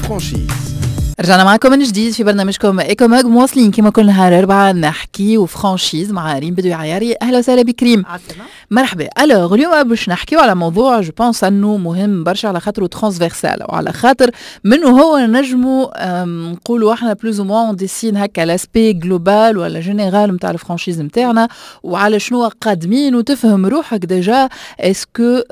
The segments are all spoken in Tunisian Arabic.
franchise. رجعنا معكم من جديد في برنامجكم Ecomag، مواصلين كما كل نهار اربعة نحكيو franchise مع ريم بدوي عياري. اهلا وسهلا بك ريم. عسلامة. مرحبا. alors اليوم باش نحكيو على موضوع je pense انه مهم برشا على خاطره transversal وعلى خاطر منه هو نجمو نقولوا احنا plus ou moins dessine هكا l'aspect global ولا général نتاع ال franchise نتاعنا وعلى شنو قادمين، وتفهم روحك déjà est-ce que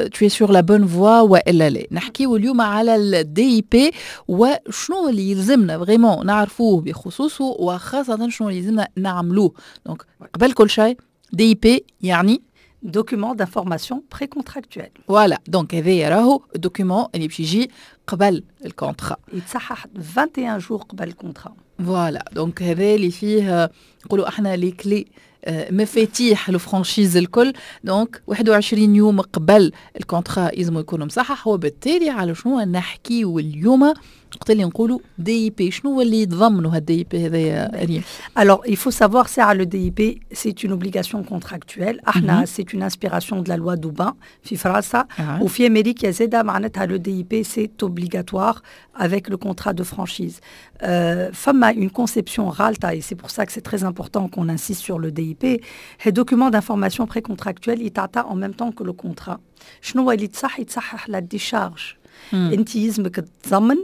tu es sur la bonne voie والا لا. نحكيو اليوم على ال DIP وشنو اللي يلزمنا vraiment نعرفوه بخصوصه، وخاصة شنو اللي يلزمنا نعملوه. donc قبل كل شيء، DIP يعني document d'information précontractuel. voilà، donc هذايا راهو ال document اللي باش يجي قبل ال contrat. يتصحح 21 jours قبل ال contrat. voilà، donc هذا اللي فيه نقولوا احنا les clés، مفاتيح ال franchise الكل. donc 21 يوم قبل ال contrat يلزم يكون مصحح. وبالتالي على شنو نحكيو اليوم وقت اللي نقولوا DIP؟ شنو اللي يتضمنوا هال DIP هذايا ريم؟ Alors, il faut savoir, c'est le DIP, c'est une obligation contractuelle. احنا c'est une inspiration de la loi Doubin في فرنسا وفي امريكا زاده. معناتها le DIP c'est obligatoire avec le contrat de franchise. فما une conception غالطة et c'est pour ça que c'est très important qu'on insiste sur le DIP. Les documents d'information précontractuelle يتعطى en même temps que le contrat. شنو هو اللي تصح؟ يتصحح la décharge. انت يلزمك تضمن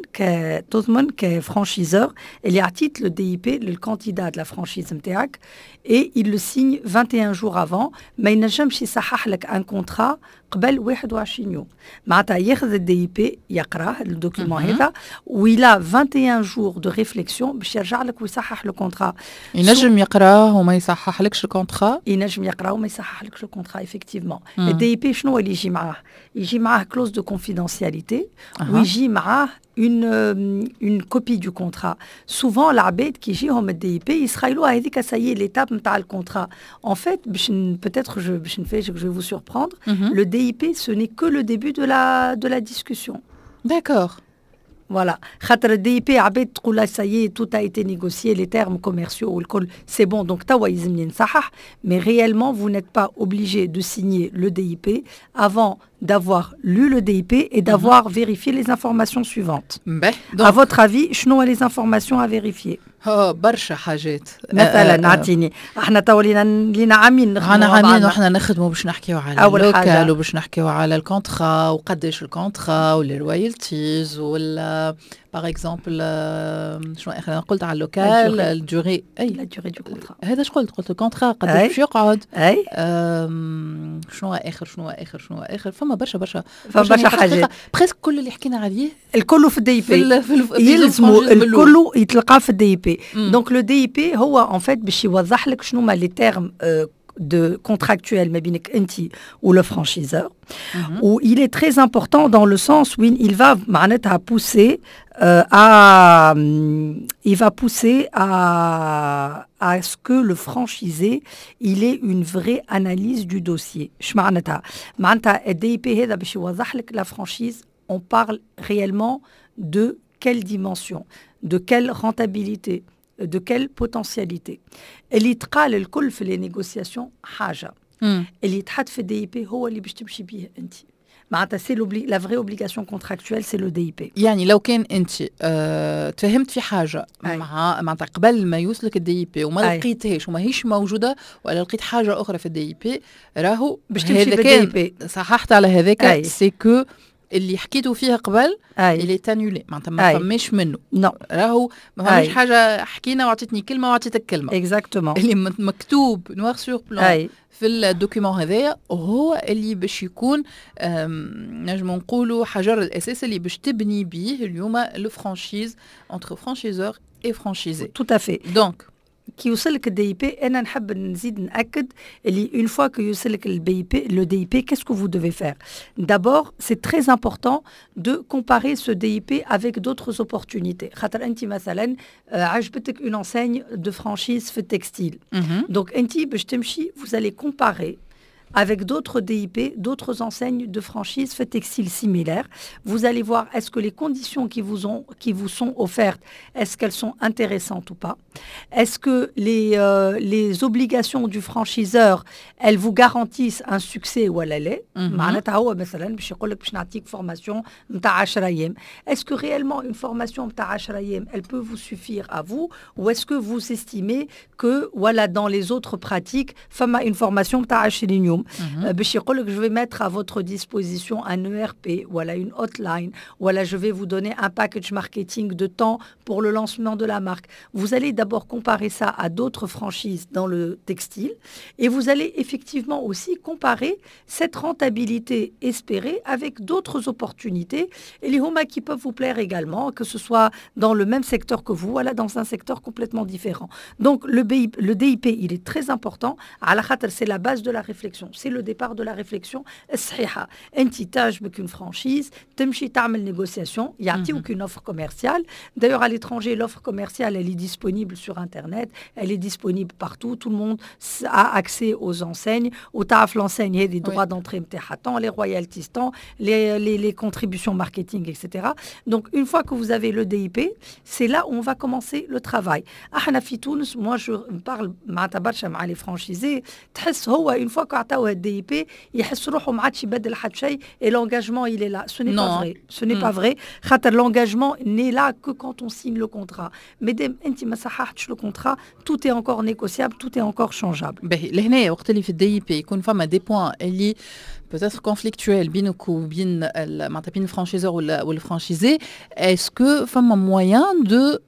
تضمن ك franchiseur اللي عطيت le DIP لل candidat de la franchise نتاعك et il le signe 21 jours avant. ما ينجمش يصحح لك un contrat قبل 21 يوم. معناتها ياخذ ال DIP، يقراه ال document هذا و il a 21 jours de réflexion باش يرجع لك ويصحح le contrat. ينجم يقراه وما يصحح لكش ال contrat؟ ينجم يقراه وما يصحح لكش ال contrat effectivement. ال DIP شنو اللي يجي معاه؟ يجي معاه clause de confidentialité ويجي معاه une copie du contrat. Souvent العباد كي يجيهم ال DIP يسخيلوها هذيك ça y est l'étape نتاع ال contrat. En fait باش peut-être je باش نفاجئك، je vais vous surprendre, le DIP ce n'est que le début de la discussion. Voilà. خاطر ال DIP عباد تقول ça y est, tout a été négocié, les termes commerciaux والكل، c'est bon, donc توا يلزمني نصحح. mais réellement vous n'êtes pas obligé de signer le DIP avant d'avoir lu le DIP et d'avoir vérifié les informations suivantes. باهي. À votre avis، شنو les informations à vérifier؟ برشا حاجات. مثلا اعطيني، احنا تو لينا عامين نخدموا. عنا عامين وحنا نخدموا باش نحكيو على ال local وباش نحكيو على ال contrat وقداش ال contrat وال royalties ولا par exemple شنو اخر؟ انا قلت على ال local، ال durée. اي، la durée du contrat. هذا اش قلت؟ قلت ال contrat قداش باش يقعد. اي. شنو اخر؟ شنو اخر؟ شنو اخر؟ فما برشا برشا. فما برشا حاجات. presque كل اللي حكينا عليه. الكل في ال DIP. يلزموا الكل يتلقى في ال DIP. donc le DIP هو en fait باش يوضح لك شنو ما les termes de contractuel ما بينك انت و le franchiseur. و il est très important dans le sens où il va معناتها pousser à il va pousser à ce que le franchisé il ait une vraie analyse du dossier. اش معناتها؟ معناتها ال DIP هذا باش يوضح لك la franchise on parle réellement de quelle dimension، de quelle rentabilité، de quelle potentialité. اللي يتقال الكل في les négociations حاجه، اللي يتحط في ال DIP هو اللي باش تمشي بيه انت. معناتها c'est la vraie obligation contractuelle c'est le DIP. يعني لو كان انت تفهمت في حاجة مع معناتها قبل ما يوصلك ال DIP وما لقيتهاش وما هيش موجوده، ولا لقيت حاجة اخرى في ال DIP، راهو باش تمشي بال DIP. صححت على هذاك، c'est que اللي حكيتوا فيها قبل il est annulé، معناتها ما فماش منه. non. راهو ما فماش حاجة حكينا وعطيتني كلمة وعطيتك كلمه. exactement. اللي مكتوب noir sur blanc في ال document هذايا هو اللي باش يكون نجم نقولوا حجر الاساس اللي باش تبني به اليوم le franchise entre franchiseur et franchisé. tout à fait. donc كي يوصلك ال DIP، انا نحب نزيد ناكد اللي une fois que يوصلك ال DIP، le DIP، qu'est-ce que vous devez faire؟ d'abord c'est très important de comparer ce DIP avec d'autres opportunités. خاطر انت مثلا عجبتك une enseigne de franchise في ال textile، donc انت باش تمشي vous allez comparer. avec d'autres DIP, d'autres enseignes de franchise في textile similaires. Vous allez voir est-ce que les conditions qui vous sont offertes, est-ce qu'elles sont intéressantes ou pas. Est-ce que les obligations du franchiseur, elles vous garantissent un succès ولا لا؟ معناتها هو مثلا باش يقول لك باش نعطيك formation نتاع 10 ايام. Est-ce que réellement une formation نتاع 10 ايام, elle peut vous suffire à vous, ou est-ce que vous estimez que voilà, dans les autres pratiques, فما une formation نتاع 20 يوم؟ باش يقول لك je vais mettre à votre disposition un ERP, voilà, une hotline, voilà, je vais vous donner un package marketing de tant pour le lancement de la marque. Vous allez d'abord comparer ça à d'autres franchises dans le textile et vous allez effectivement aussi comparer cette rentabilité espérée avec d'autres opportunités et اللي هما qui peuvent vous plaire également, que ce soit dans le même secteur que vous, voilà, dans un secteur complètement différent. Donc le DIP, il est très important. على خاطر c'est la base de la réflexion, c'est le départ de la réflexion الصحيحة. انت تعجبك une franchise, تمشي تعمل négociation, يعطيوك une offre commerciale. D'ailleurs, à l'étranger, l'offre commerciale, elle est disponible sur internet, elle est disponible partout, tout le monde a accès aux enseignes. وتعرف l'enseigne هذه droits d'entrée نتاعها tant, les royalties tant, les contributions marketing, etc. Donc une fois que vous avez le DIP, c'est là où on va commencer le travail. احنا في تونس, moi je parle معناتها برشا مع les franchisés, تحس هو une fois qu'عطاوه ال DIP يحس روحه ما عادش يبدل حتى شيء et l'engagement, il est là. Ce n'est pas vrai, ce n'est pas vrai, خاطر l'engagement n'est là que quand on signe le contrat. مادام انت ما صححتش le contrat, tout est encore négociable, tout est encore changeable. باهي، لهنا وقت اللي في ال DIP يكون فما des points اللي peut-être conflictuels بينك وبين معناتها بين ال franchiseur ولا وال franchisé, est-ce que فما moyen de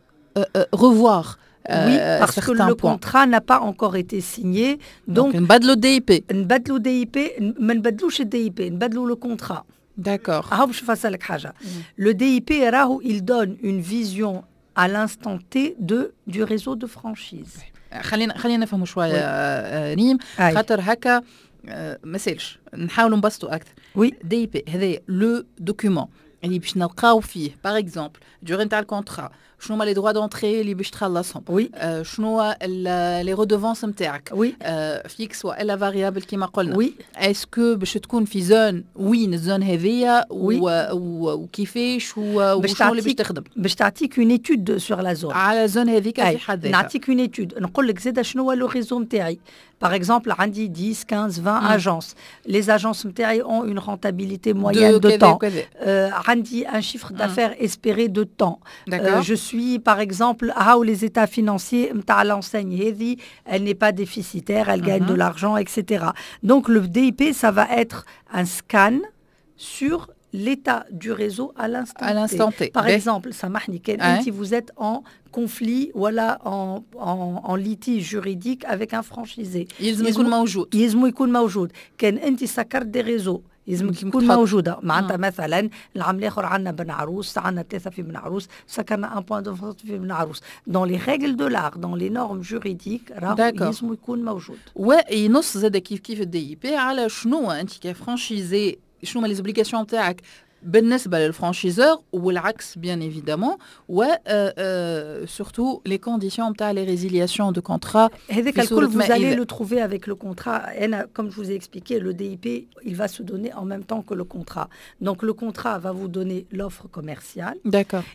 revoir Oui, parce que certains le points? Contrat n'a pas encore été signé. Donc, donc نبدلوا ال DIP. نبدلوا DIP, ما نبدلوش ال DIP, نبدلوا le contrat. D'accord. هاو باش نفسر لك حاجة. Le DIP راهو il donne une vision à l'instant T du réseau de franchise. خلينا نفهموا شويه ريم. أي. خاطر هكا ما سالش نحاولوا نبسطوا اكثر. Oui. DIP هذا le document اللي باش نلقاو فيه par exemple durée نتاع ال contrat, شنو هما les droits d'entrée اللي باش تخلصهم، شنو les redevances نتاعك، fixes والا variables كيما قلنا، est-ce que باش تكون في zone، وين ال zone هذيا وكيفاش وشنو اللي باش تخدم. باش تعطيك une étude sur la zone. على zone هذيك في حد ذاتها. نعطيك une étude، نقول لك زاده شنو هو le réseau نتاعي. Par exemple, عندي 10, 15, 20 agences. Les agences نتاعي ont une rentabilité moyenne de tant. عندي un chiffre d'affaires espéré de tant. Je suis, par exemple, هاو les états financiers نتاع l'enseigne هذه, elle n'est pas déficitaire, elle gagne de l'argent, etc. Donc le DIP, ça va être un scan sur l'état du réseau à l'instant À l'instant T. Par exemple, سامحني، كان si vous êtes en conflit ولا en litige juridique avec un franchisé. يلزم يكون موجود. يلزم يكون موجود. كان انت سكرت des réseaux لازم تكون موجوده. معناتها مثلا العام الاخر عندنا بن عروس، عندنا ثلاثه في بن عروس، سكرنا un point de vente في بن عروس. Dans les règles de l'art, dans les normes juridiques, راهو لازم يكون موجود. وينص زاد كيف كيف ال DIP على شنو انت ك franchisé، شنو هما les obligations تاعك بالنسبه لل franchiseur والعكس bien évidemment، و surtout les conditions نتاع les résiliations de contrat. هذاك الكل vous allez le trouver avec le contrat. انا comme je vous ai expliqué, le DIP, il va se donner en même temps que le contrat. Donc le contrat va vous donner l'offre commerciale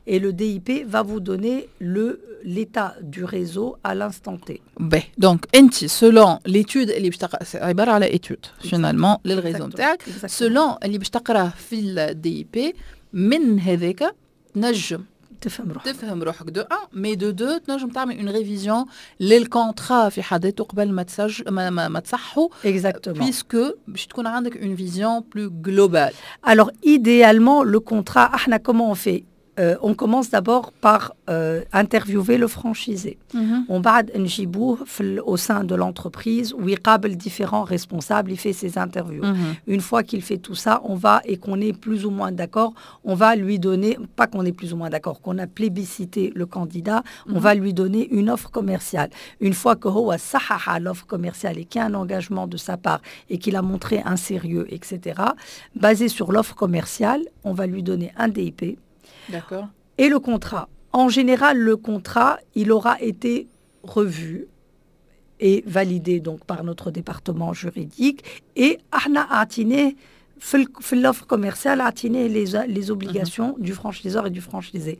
et le DIP va vous donner l'état du réseau à l'instant T. باهي، donc انت selon l'étude اللي باش تقرا، عباره على étude finalement لل réseau نتاعك، selon اللي باش تقراه في ال DIP، من هذاك تنجم تفهم روحك. تفهم روحك de un, mais de deux تنجم تعمل une révision لل contrat في حد ذاته قبل ما تسجل ما تصحوا، puisque باش تكون عندك une vision plus globale. Alors idéalement, le contrat, احنا comment on fait? On commence d'abord par interviewer le franchisé. ومن بعد نجيبوه au sein de l'entreprise ويقابل différents responsables, il fait ses interviews. Une fois qu'il fait tout ça, on va, et qu'on est plus ou moins d'accord, on va lui donner, pas qu'on est plus ou moins d'accord, qu'on a plébiscité le candidat, on va lui donner une offre commerciale. Une fois que هو صحح l'offre commerciale et qu'il y a un engagement de sa part et qu'il a montré un sérieux, etc., basé sur l'offre commerciale, on va lui donner un DIP. Et le contrat. En général, le contrat, il aura été revu. est validé donc par notre département juridique et احنا اعطيناه في l'offre commerciale عطيناه les obligations du franchiseur et du franchisé.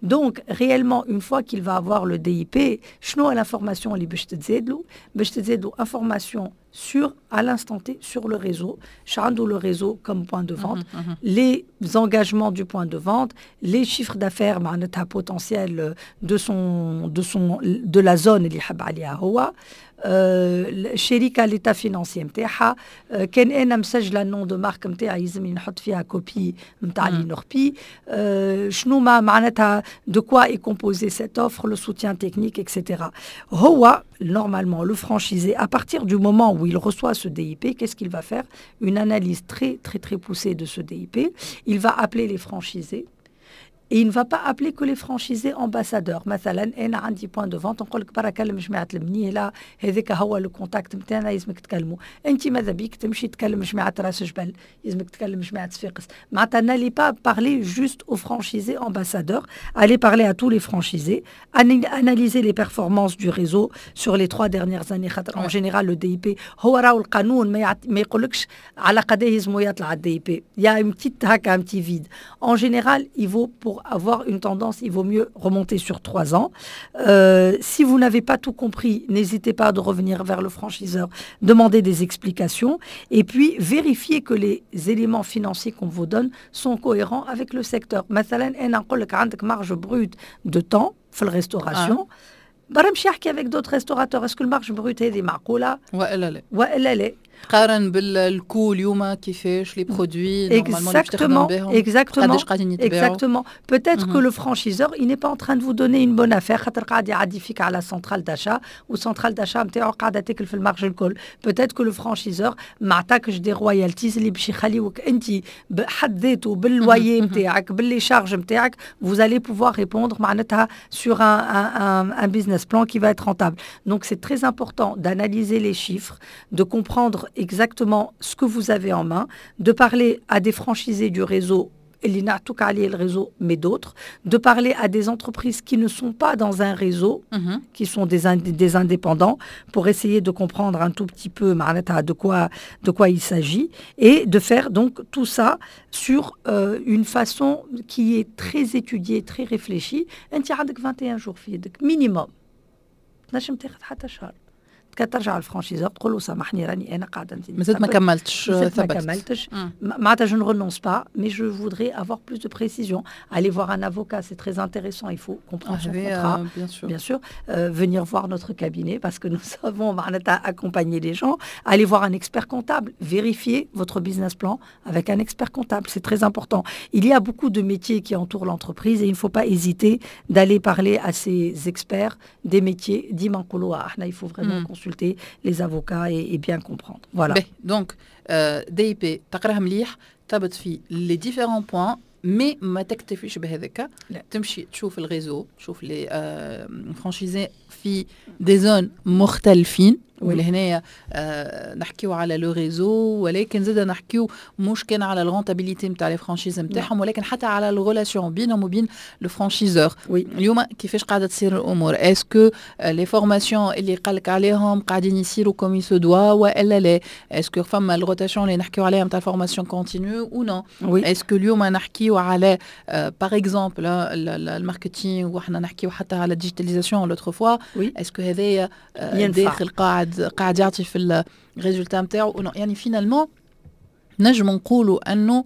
Donc réellement, une fois qu'il va avoir le DIP, شنو l'information اللي باش تتزاد له؟ باش تتزاد له information sur à l'instant T sur le réseau, شعنده le réseau comme point de vente, les engagements du point de vente, les chiffres d'affaires معناتها potentiel de la zone اللي يحب عليها هو الشركه, l'état financier نتاعها. كان انا مسجله ال nom de marque نتاعي يلزمني نحط فيها copie نتاع l'INNORPI. شنو ما معناتها de quoi est composée cette offre, le soutien technique, etc. هو normalement, le franchisé, à partir du moment où il reçoit ce DIP, qu'est-ce qu'il va faire? Une analyse très très très poussée de ce DIP. Il va appeler les franchisés et il ne va pas appeler que les franchisés ambassadeurs. مثلا انا عندي point de vente, نقول لك برا كلم جماعه المنيهله, هذاك هو le contact نتاعنا, يلزمك تكلموا. انت ماذا بيك تمشي تكلم جماعه راس جبل, يلزمك تكلم جماعه صفاقس. معناتها n'allez pas parler juste aux franchisés ambassadeurs, allez parler à tous les franchisés, analyser les performances du réseau sur les 3 dernières années. خاطر en général, le DIP هو راهو القانون ما يقولكش على قداه يلزمو يطلع ال DIP. Il y a une petite هكا un petit vide. En général, il vaut, pour avoir une tendance, il vaut mieux remonter sur 3 ans. Si vous n'avez pas tout compris, n'hésitez pas de revenir vers le franchiseur, demander des explications et puis vérifier que les éléments financiers qu'on vous donne sont cohérents avec le secteur. مثلا انا نقول لك عندك marge brute de tant في ال restauration, برا امشي احكي avec d'autres restaurateurs, est-ce que ال marge brute هذه معقوله والا لا؟ والا لا؟ قارن بال coût اليوم كيفاش les produits normalement اللي باش تخدم بهم قداش قاعدين يتباعوا. Exactement. Peut-être que le franchiseur, il n'est pas en train de vous donner une bonne affaire خاطر قاعد يعدي فيك على centrale d'achat و centrale d'achat نتاعو قاعده تاكل في ال marge الكل. Peut-être que le franchiseur ما عطاكش des royalties اللي باش يخليوك انت بحد ذاته بال loyer نتاعك بال les charges نتاعك vous allez pouvoir répondre معناتها sur un business plan qui va être rentable. Donc c'est très important d'analyser les chiffres, de comprendre exactement ce que vous avez en main, de parler à des franchisés du réseau اللي نعطوك عليه le réseau, mais d'autres, de parler à des entreprises qui ne sont pas dans un réseau, qui sont des indépendants, pour essayer de comprendre un tout petit peu معناتها de quoi il s'agit, et de faire donc tout ça sur une façon qui est très étudiée, très réfléchie. انت عندك 21 jours في يدك minimum. تنجم تاخذ حتى شهر. ترجع لل franchiseur تقول له سامحني راني انا قاعده نزيد مازلت ما كملتش. ما كملتش, معناتها je ne renonce pas, mais je voudrais avoir plus de précision. Aller voir un avocat, c'est très intéressant, il faut comprendre son contrat. Bien sûr. Bien sûr, venir voir notre cabinet parce que nous savons معناتها accompagner les gens. Aller voir un expert comptable, vérifier votre business plan avec un expert comptable, c'est très important. Il y a beaucoup de métiers qui entourent l'entreprise et il ne faut pas hésiter d'aller parler à ces experts des métiers. ديما نقولوا احنا il faut vraiment consulter les avocats et bien comprendre. Voilà. Donc, DIP تقراها مليح, تثبت في les différents points, mais ما تكتفيش بهذاك, تمشي تشوف ال réseau, تشوف les franchisés في des zones مختلفين. ولهنايا نحكيو على le réseau, ولكن زاد نحكيو مش كان على ال rentabilité نتاع les franchises نتاعهم, ولكن حتى على ال relation بينهم وبين le franchiseur. اليوم كيفاش قاعده تصير الامور؟ Est-ce que les formations اللي قالك عليهم قاعدين يصيروا comme il se doit والا لا؟ Est-ce que فما ال rotation اللي نحكيو عليها نتاع ال formation continue ou non? Est-ce que اليوم نحكيو على par exemple ال marketing, وحنا نحكيو حتى على ال digitalisation l'autre fois, est-ce que هذايا داخل قاعد يعطي في ال résultat نتاعو؟ يعني finalement نجم نقولوا انه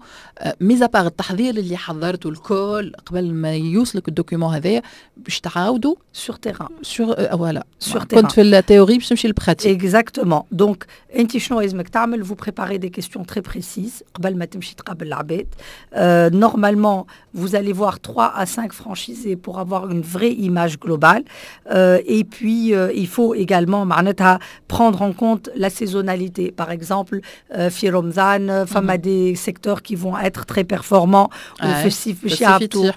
mis à part التحضير اللي حضرته الكل قبل ما يوصلك ال document هذايا, باش تعاودوا sur terrain. Sur, voilà. Sur كنت في ال théorie باش تمشي لل pratique. Exactement. Donc انت شنو لازمك تعمل؟ Vous préparez des questions très précises قبل ما تمشي تقابل العباد. Normalement, vous allez voir 3 à 5 franchisés pour avoir une vraie image globale. Et puis il faut également معناتها prendre en compte la saisonnalité, par exemple في رمضان. فما des secteurs qui vont être très performants وفي الصيف باش يهبطوا.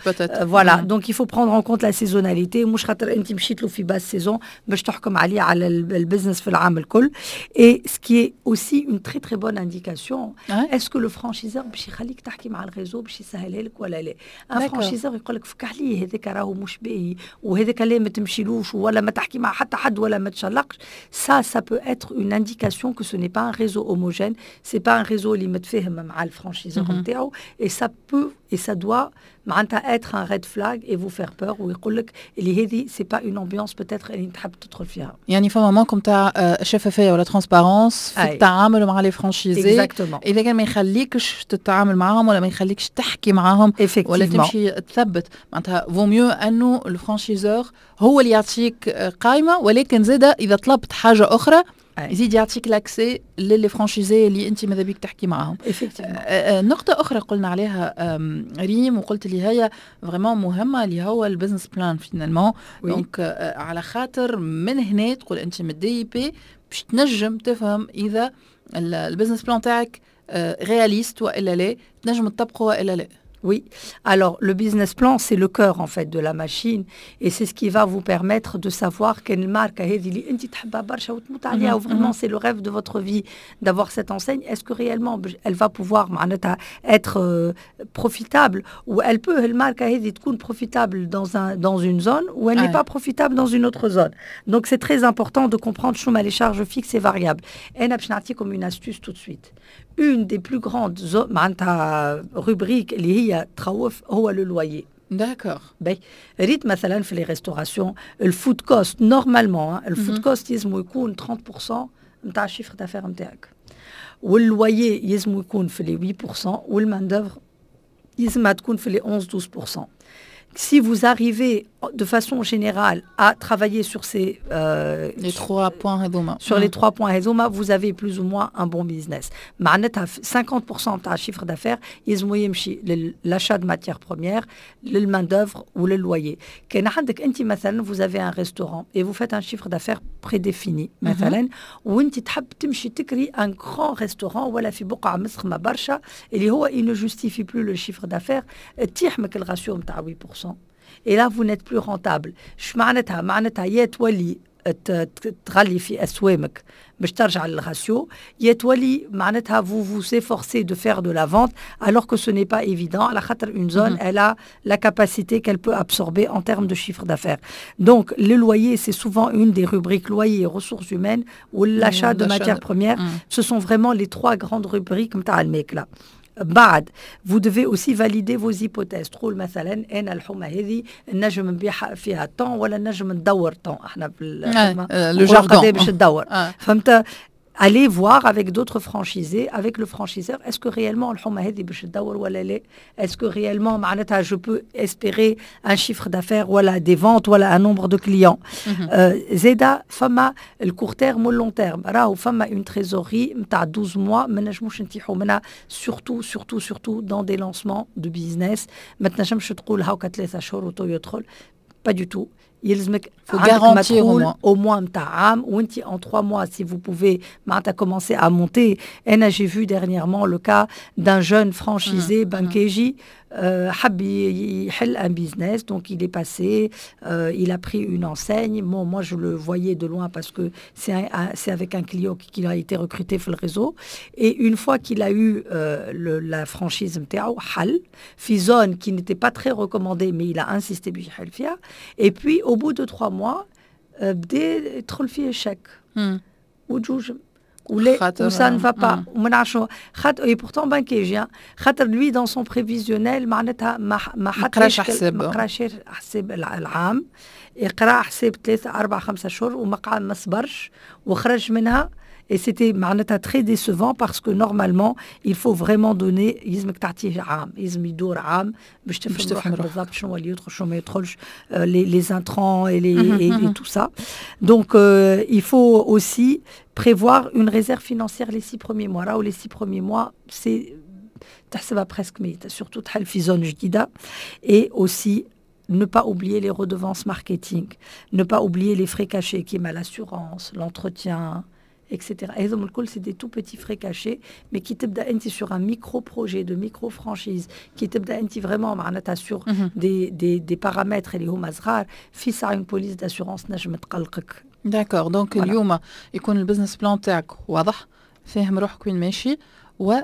Voilà, donc il faut prendre en compte la saisonnalité. مش خاطر انت مشيت له في basse saison باش تحكم عليه على ال business في العام الكل. Et ce qui est aussi une très très bonne indication, est-ce que le franchiseur باش يخليك تحكي مع ال réseau باش يسهلها لك ولا لا؟ Un franchiseur يقول لك فك عليه, هذاك راهو مش باهي وهذاك لا ما تمشيلوش ولا ما تحكي مع حتى حد ولا ما تشلقش, ça peut être une indication que ce n'est pas un réseau homogène, c'est pas un réseau اللي متفاهم مع ال franchiseur نتاعو, et ça peut et ça doit معناتها être un red flag et vous faire peur ويقول لك اللي هذه c'est pas une ambiance peut-être اللي تحب تدخل فيها. يعني فما manque نتاع شفافيه ولا transparence في التعامل مع les franchisés. اذا كان ما يخليكش تتعامل معاهم ولا ما يخليكش تحكي معاهم ولا تمشي تثبت, معناتها vaut mieux انه ال franchiseur هو اللي يعطيك قائمه, ولكن زاده اذا طلبت حاجه اخرى يزيد يعطيك l'accès ل les franchisés اللي انت ماذا بيك تحكي معاهم. نقطة أخرى قلنا عليها ريم وقلت اللي هي vraiment مهمة, اللي هو ال business plan finalement. donc على خاطر من هنا تقول انت من ال DIP باش تنجم تفهم اذا ال business plan تاعك réaliste والا لا, تنجم تطبقه والا لا. Oui. Alors, le business plan, c'est le cœur, en fait, de la machine. Et c'est ce qui va vous permettre de savoir quelle marque vraiment c'est le rêve de votre vie d'avoir cette enseigne. Est-ce que réellement elle va pouvoir être profitable ou elle peut, الماركة هذه تكون profitable dans une zone ou elle n'est pas profitable dans une autre zone. Donc, c'est très important de comprendre شنوما les charges fixes et variables. Et comme une astuce tout de suite. Une des plus grandes rubriques اللي هي تخوف هو le loyer. باهي, ريت مثلا في les restaurations, ال food cost, normalement ال food cost يلزم يكون 30% نتاع ال chiffre d'affaires نتاعك, وال loyer يلزم يكون في les 8%, وال main d'œuvre يلزمها تكون في les 11 12%. Si vous arrivez de façon générale à travailler sur ces les trois points هذوما, sur les trois points هذوما, vous avez plus ou moins un bon business. معناتها 50% نتاع chiffre d'affaires يلزمو يمشي l'achat de matières premières, لل main d'œuvre ou le loyer. كان عندك انت مثلا vous avez un restaurant et vous faites un chiffre d'affaires prédéfini مثلا, وانت تحب تمشي تكري un grand restaurant ولا في بقعه مسخمه برشا اللي هو il ne justifie plus le chiffre d'affaires, تطيح مك ال ratio نتاع 8% et là vous n'êtes plus rentable. اش معناتها؟ معناتها يا تولي تغلي في اسوامك باش ترجع لل ratio, يا تولي معناتها vous vous efforcez de faire de la vente alors que ce n'est pas évident, على خاطر une zone elle a la capacité qu'elle peut absorber en termes de chiffre d'affaires. Donc le loyer, c'est souvent une des rubriques, loyer, ressources humaines ou l'achat de matières premières, ce sont vraiment les trois grandes rubriques نتاع الماكله. بعد vous devez aussi valider vos hypothèses. تقول مثلا انا الحومه هذه نجم نبيعها فيها tant ولا نجم ندور tant, احنا في le jargon. باش تدور, فهمت؟ Allez voir avec d'autres franchisés, avec le franchiseur, est-ce que réellement الحومة هذه باش تدور ولا لا؟ Est-ce que réellement معناتها je peux espérer un chiffre d'affaires ولا des ventes ولا un nombre de clients؟ زادا فما ال court terme وال long terme. راهو فما une trésorerie نتاع 12 mois ما نجموش نتيحوا منها, surtout surtout surtout dans des lancements de business. ما تنجمش تقول هاكا 3 شهور وتو يدخل, pas du tout. يلزمك faut garantir au moins au moins نتاع عام, وانت en 3 mois si vous pouvez معناتها commencer à monter. انا j'ai vu dernièrement le cas d'un jeune franchisé بنكيجي حب يحل un business, donc il est passé, il a pris une enseigne. Bon, moi je le voyais de loin parce que c'est avec un client qui a été recruté في le réseau, et une fois qu'il a eu la franchise نتاعو, حل في zone qui n'était pas très recommandée, mais il a insisté باش يحل فيها, et puis au bout de 3 mois بدا يدخل فيه شك وجوج ولا و ça ne va pas وما نعرفش خاطر, et pourtant بانكيجي, خاطر lui dans son prévisionnel معناتها ما حطش حساب. ما قراش حساب العام, يقرا حساب 3 4 5 شهور وما قعد ما صبرش وخرج منها. Et c'était معناتها très décevant parce que normalement il faut vraiment donner, يلزمك تعطيه عام, يلزم يدور عام باش تفهم روحك بالضبط شنو اللي يدخل شنو ما يدخلش, les intrants et tout ça. Donc il faut aussi prévoir une réserve financière les 6 premiers mois. راهو les 6 premiers mois, c'est تحسبها presque ميتة, surtout تحل في zone جديدة. Et aussi ne pas oublier les redevances marketing, ne pas oublier les frais cachés كيما l'assurance, l'entretien. et cetera. هذم الكل c'est des tout petits frais cachés, mais كي تبدا انت sur un micro projet de micro franchise, كي تبدا انت vraiment معناتها sur des paramètres اللي هما صغار, في ساعة une police d'assurance نجم تقلقك. d'accord, donc اليوم يكون ال business plan تاعك واضح, فاهم روحك وين ماشي, و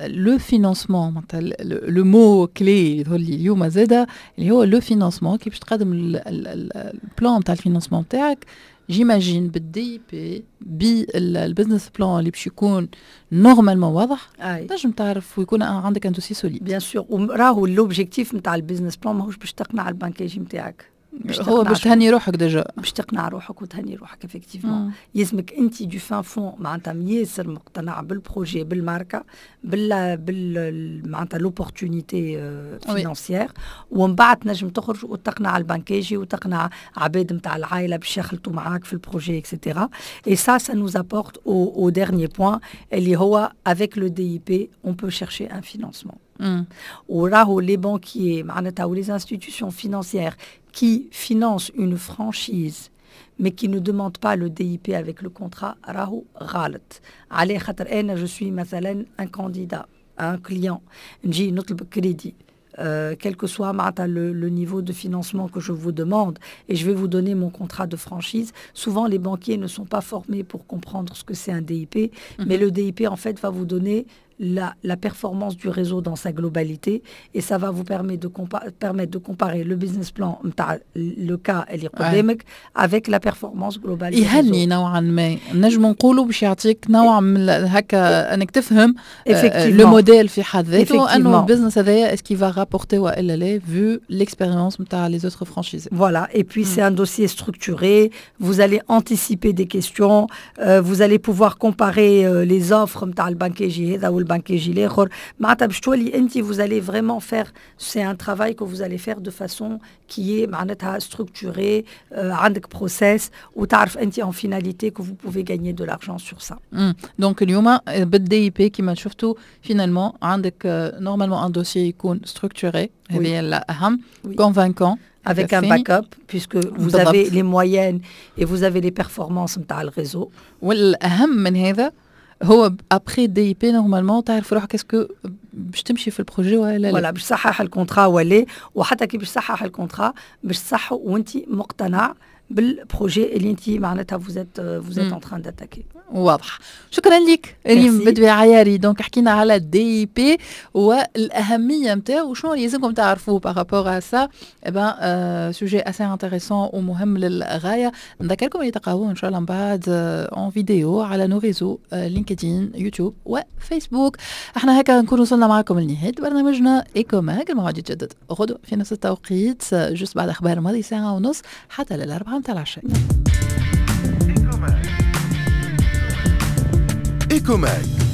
le financement معناتها le mot clé يظهر لي اليوم زاده اللي هو le financement. كي باش تقدم ال plan تاع ال financement تاعك, j'imagine بال DIP, بال business plan اللي باش يكون normalement واضح, تنجم تعرف ويكون عندك un dossier solide. bien sûr, راهو l'objectif نتاع ال business plan ماهوش باش تقنع البنكاجي نتاعك. هو باش تهني روحك déjà. باش تقنع روحك وتهني روحك, effectivement. يلزمك انت du fin fond معناتها ياسر مقتنع بال projet, بالماركه, بال معناتها l'opportunité financière, ومن بعد تنجم تخرج وتقنع البنكاجي وتقنع عباد نتاع العائلة باش يخلطوا معاك في ال projet, et cetera. et ça ça nous apporte au dernier point اللي هو avec le DIP on peut chercher un financement. وراهو les banquiers معناتها ou les institutions financières qui financent une franchise mais qui ne demandent pas le DIP avec le contrat, راهو غلط. عليه خاطر انا je suis مثلا un candidat, un client, نجي نطلب crédit, quel que soit le niveau de financement que je vous demande, et je vais vous donner mon contrat de franchise. Souvent, les banquiers ne sont pas formés pour comprendre ce que c'est un DIP, mais le DIP, en fait, va vous donner la performance du réseau dans sa globalité et ça va vous permettre de comparer le business plan, le cas اللي قدامك, avec la performance globale. يهني نوعا ما, نجم نقولوا باش يعطيك نوع من هكا انك تفهم le modèle في حد ذاته, انه ال business هذايا est-ce qu'il va rapporter والا لا, vu l'expérience نتاع les autres franchisés. Voilà, et puis c'est un dossier structuré, vous allez anticiper des questions, vous allez pouvoir comparer les offres نتاع البنكيجي هذا والبنكيجي الاخر. معناتها باش تولي انت vous allez vraiment faire, c'est un travail que vous allez faire de façon qui est معناتها structurée, عندك process وتعرف انت en finalité que vous pouvez gagner de l'argent sur ça. donc اليوم بال DIP كيما شفتوا, finalement عندك normalement un dossier يكون structuré, هذه هي الاهم, convaincant. avec un backup puisque vous avez les moyennes et vous avez les performances نتاع ال réseau. والاهم من هذا هو après DIP, normalement تعرف روحك est-ce que باش تمشي في ال projet ولا لا. ولا باش تصحح ال contrat ولا, وحتى كي باش تصحح ال contrat باش تصحه وانت مقتنع بال projet اللي انت معناتها vous êtes en train d'attaquer. واضح, شكرا لك ريم بدوي عياري. donc حكينا على DIP والاهميه نتاعو وشنو اللي لازمكم تعرفوه par rapport à ça. ben sujet assez intéressant ومهم للغايه. نذكركم اللي تلقاوه ان شاء الله من بعد en vidéo على nos réseaux, LinkedIn, YouTube وفيسبوك. احنا هكا نكون وصلنا معكم لنهاية برنامجنا Ecomag. الموعد يتجدد غدوه في نفس التوقيت, juste بعد اخبار ماضي ساعة ونص حتى لل4 متاع العشاء. Ecomag.